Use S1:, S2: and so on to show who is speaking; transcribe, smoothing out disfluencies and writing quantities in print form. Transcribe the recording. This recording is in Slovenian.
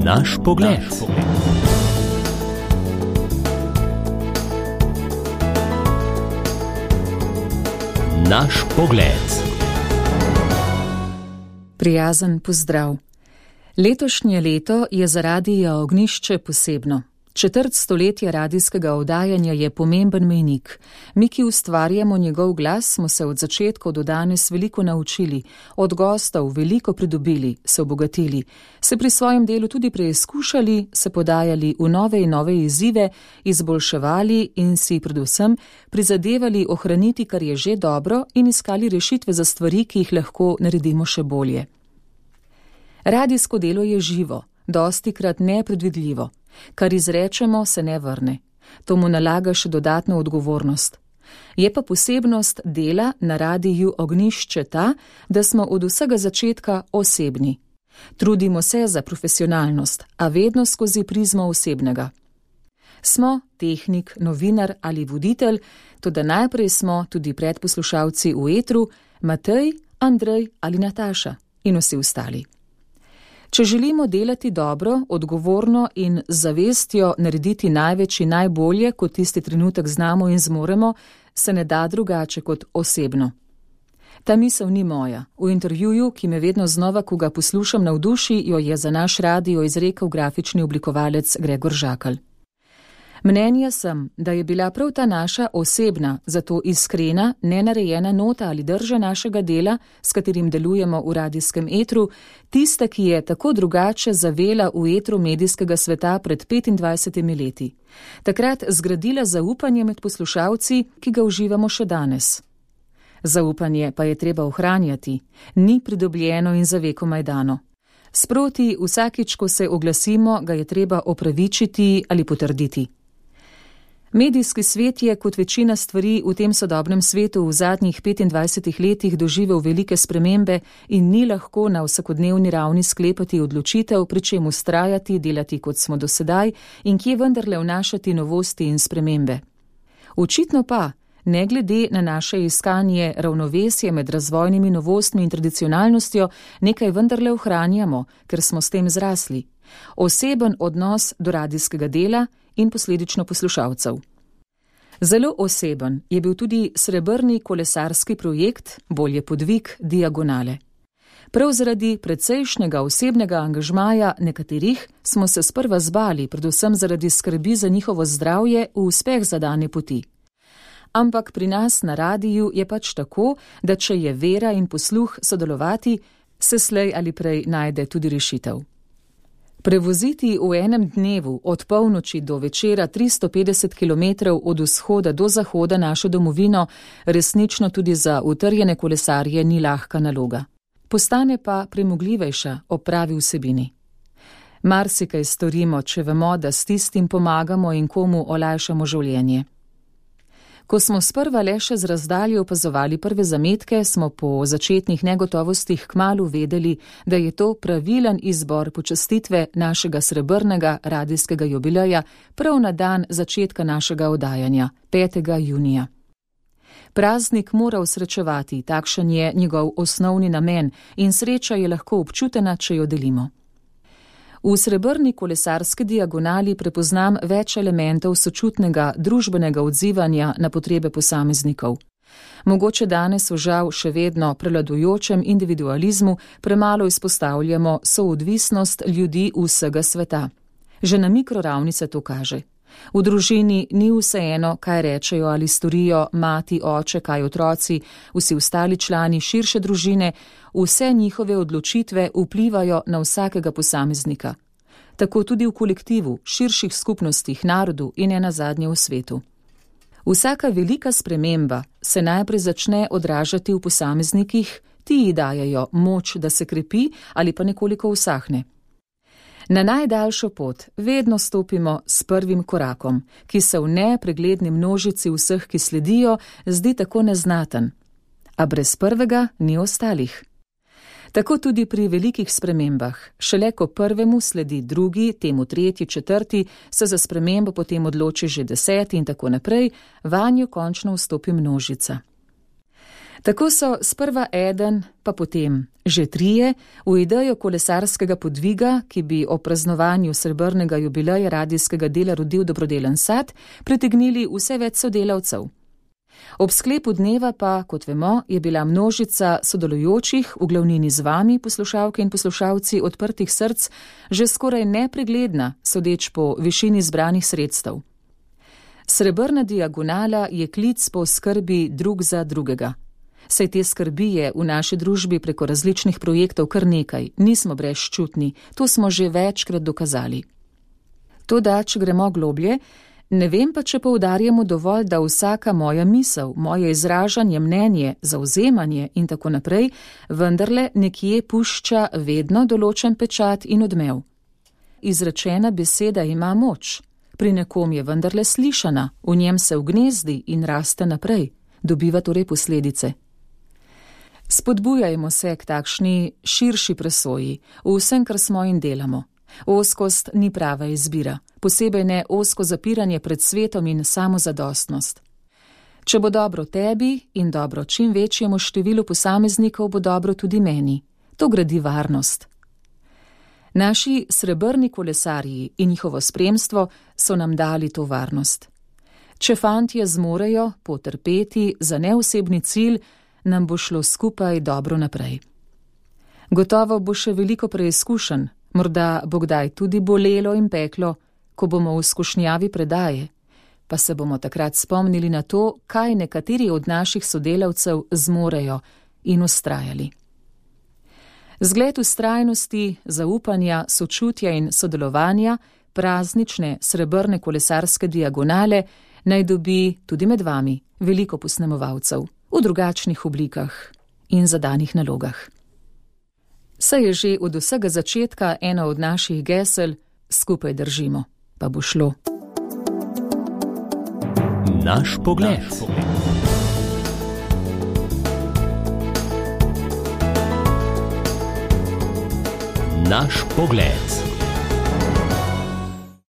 S1: Naš pogled. Naš pogled.
S2: Prijazen pozdrav. Letošnje leto je za Radio Ognjišče posebno. Četrt stoletja radijskega oddajanja je pomemben mejnik. Mi, ki ustvarjamo njegov glas, smo se od začetka do danes veliko naučili, od gostov veliko pridobili, se obogatili, se pri svojem delu tudi preizkušali, se podajali v nove in nove izzive, izboljševali in si predvsem prizadevali ohraniti, kar je že dobro, in iskali rešitve za stvari, ki jih lahko naredimo še bolje. Radijsko delo je živo, dostikrat nepredvidljivo. Kar izrečemo, se ne vrne. To mu nalaga še dodatno odgovornost. Je pa posebnost dela na Radiju Ognjišče ta, da smo od vsega začetka osebni. Trudimo se za profesionalnost, a vedno skozi prizmo osebnega. Smo tehnik, novinar ali voditelj, toda najprej smo tudi predposlušalci v etru, Matej, Andrej ali Nataša in vsi ostali. Če želimo delati dobro, odgovorno in z zavestjo narediti največ in najbolje, kot tisti trenutek znamo in zmoremo, se ne da drugače kot osebno. Ta misel ni moja. V intervjuju, ki me vedno znova, ko ga poslušam, navduši, jo je za naš radio izrekel grafični oblikovalec Gregor Žakelj. Mnenja sem, da je bila prav ta naša osebna, zato iskrena, nenarejena nota ali drža našega dela, s katerim delujemo v radijskem etru, tista, ki je tako drugače zavela v etru medijskega sveta pred 25 leti. Takrat zgradila zaupanje med poslušalci, ki ga uživamo še danes. Zaupanje pa je treba ohranjati, ni pridobljeno in za vekomaj dano. Sproti vsakič, ko se oglasimo, ga je treba opravičiti ali potrditi. Medijski svet je, kot večina stvari v tem sodobnem svetu v zadnjih 25 letih doživel velike spremembe in ni lahko na vsakodnevni ravni sklepati odločitev, pri čem vztrajati, delati kot smo do sedaj in kje vendarle vnašati novosti in spremembe. Očitno pa, ne glede na naše iskanje ravnovesja med razvojnimi novostmi in tradicionalnostjo, nekaj vendarle ohranjamo, ker smo s tem zrasli. Oseben odnos do radijskega dela in posledično poslušalcev. Zelo oseben je bil tudi srebrni kolesarski projekt, bolje podvig Diagonale. Prav zaradi precejšnjega osebnega angažmaja nekaterih smo se sprva zbali, predvsem zaradi skrbi za njihovo zdravje v uspeh zadane poti. Ampak pri nas na radiju je pač tako, da če je vera in posluh sodelovati, se slej ali prej najde tudi rešitev. Prevoziti v enem dnevu od polnoči do večera 350 km od vzhoda do zahoda našo domovino resnično tudi za utrjene kolesarje ni lahka naloga. Postane pa premogljivejša ob pravi vsebini. Marsikaj storimo, če vemo, da s tistim pomagamo in komu olajšamo življenje. Ko smo sprva le še z razdalje opazovali prve zametke, smo po začetnih negotovostih kmalu vedeli, da je to pravilen izbor počastitve našega srebrnega radijskega jubileja prav na dan začetka našega oddajanja, 5. junija. Praznik mora osrečevati, takšen je njegov osnovni namen in sreča je lahko občutena, če jo delimo. V srebrni kolesarski diagonali prepoznam več elementov sočutnega družbenega odzivanja na potrebe posameznikov. Mogoče danes v žal še vedno prevladujočem individualizmu premalo izpostavljamo soodvisnost ljudi vsega sveta. Že na mikroravni se to kaže. V družini ni vseeno, kaj rečejo ali storijo mati, oče, kaj otroci, vsi ostali člani širše družine, vse njihove odločitve vplivajo na vsakega posameznika. Tako tudi v kolektivu, širših skupnostih, narodu in nenazadnje v svetu. Vsaka velika sprememba se najprej začne odražati v posameznikih, ti ji dajejo moč, da se krepi ali pa nekoliko usahne. Na najdaljšo pot vedno stopimo s prvim korakom, ki se v nepregledni množici vseh, ki sledijo, zdi tako neznaten. A brez prvega ni ostalih. Tako tudi pri velikih spremembah. Šele ko prvemu sledi drugi, temu tretji, četrti, se za spremembo potem odloči že 10 in tako naprej, vanjo končno vstopi množica. Tako so sprva eden, pa potem že trije v idejo kolesarskega podviga, ki bi o praznovanju srebrnega jubileja radijskega dela rodil dobrodelen sad, pritegnili vse več sodelavcev. Ob sklepu dneva pa, kot vemo, je bila množica sodelujočih, v glavnini z vami, poslušalke in poslušalci odprtih src, že skoraj nepregledna, sodeč po višini zbranih sredstev. Srebrna diagonala je klic po skrbi drug za drugega. Saj te skrbi je v naši družbi preko različnih projektov kar nekaj, nismo brezčutni, to smo že večkrat dokazali. Toda, če gremo globlje, ne vem pa, če poudarjamo dovolj, da vsaka moja misel, moje izražanje, mnenje, zavzemanje in tako naprej, vendarle nekje pušča vedno določen pečat in odmev. Izrečena beseda ima moč, pri nekom je vendarle slišana, v njem se vgnezdi in raste naprej, dobiva torej posledice. Spodbujajmo se k takšni širši presoji v vsem, kar smo in delamo. Ozkost ni prava izbira, posebej ne ozko zapiranje pred svetom in samozadostnost. Če bo dobro tebi in dobro čim večjemu številu posameznikov, bo dobro tudi meni. To gradi varnost. Naši srebrni kolesarji in njihovo spremstvo so nam dali to varnost. Če fantje zmorejo potrpeti za neosebni cilj, nam bo šlo skupaj dobro naprej. Gotovo bo še veliko preizkušenj, morda bo kdaj tudi bolelo in peklo, ko bomo v skušnjavi predaje, pa se bomo takrat spomnili na to, kaj nekateri od naših sodelavcev zmorejo in vztrajali. Zgled vztrajnosti, zaupanja, sočutja in sodelovanja, praznične srebrne kolesarske diagonale, naj dobi tudi med vami veliko posnemovalcev v drugačnih oblikah in zadanih nalogah. Saj je že od vsega začetka ena od naših gesel, skupaj držimo, pa bo šlo.
S1: Naš pogled. Naš pogled.